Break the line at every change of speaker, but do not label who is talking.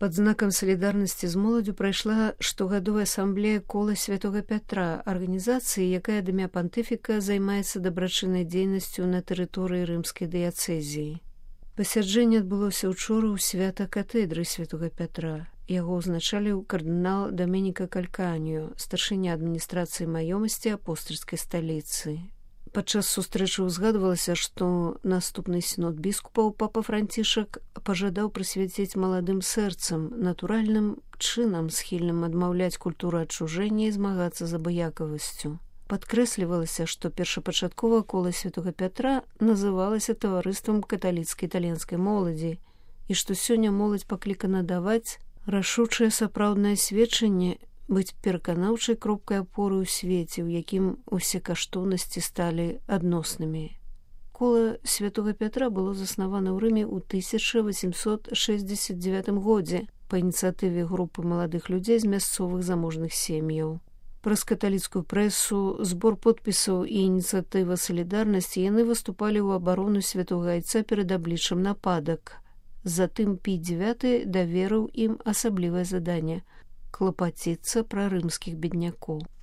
Пад знакам салідарнасці з моладдзю прайшла штогадовая асамблея кола святога Пятра, арганізацыі, якая ад імя пантыфіка займаецца дабрачыннай дзейнасцю на тэрыторыі рымскай дыяцэзіі. Пасяджэнне адбылося ўчора ў свята катедры святога Пятра. Яго ўзначаліў кардынал Даменіка Кальканіо, старшыня адміністрацыі маёмасці апостальскай сталіцы. Падчас сустрэчы ўзгадвалася, што наступны сінод біскупаў папа Францішак пажадаў прысвяціць маладым сэрцам, натуральным чынам схільным адмаўляць культуру адчужэння і змагацца з абыякавасцю. Падкрэслівалася, што першапачаткова кола святога Пятра называлася таварыствам каталіцкай італьянскай моладзі і што сёння моладзь паклікана даваць рашучае сапраўднае сведчанне, быць пераканаўчай кропкай апоры ў свеце, у якім усе каштоўнасці сталі адноснымі. Кола святога Пятра было заснавана ў Рыме ў 1869 годзе па ініцыятыве групы маладых людзей з мясцовых заможных сем'яў. Праз каталіцкую прэсу, збор подпісаў і ініцыятыва салідарнасці яны выступалі ў абарону святога айца перад абліччам нападак. Затым Пій IX даверыў ім асаблівае заданне – клапаціцца пра рымскіх беднякоў.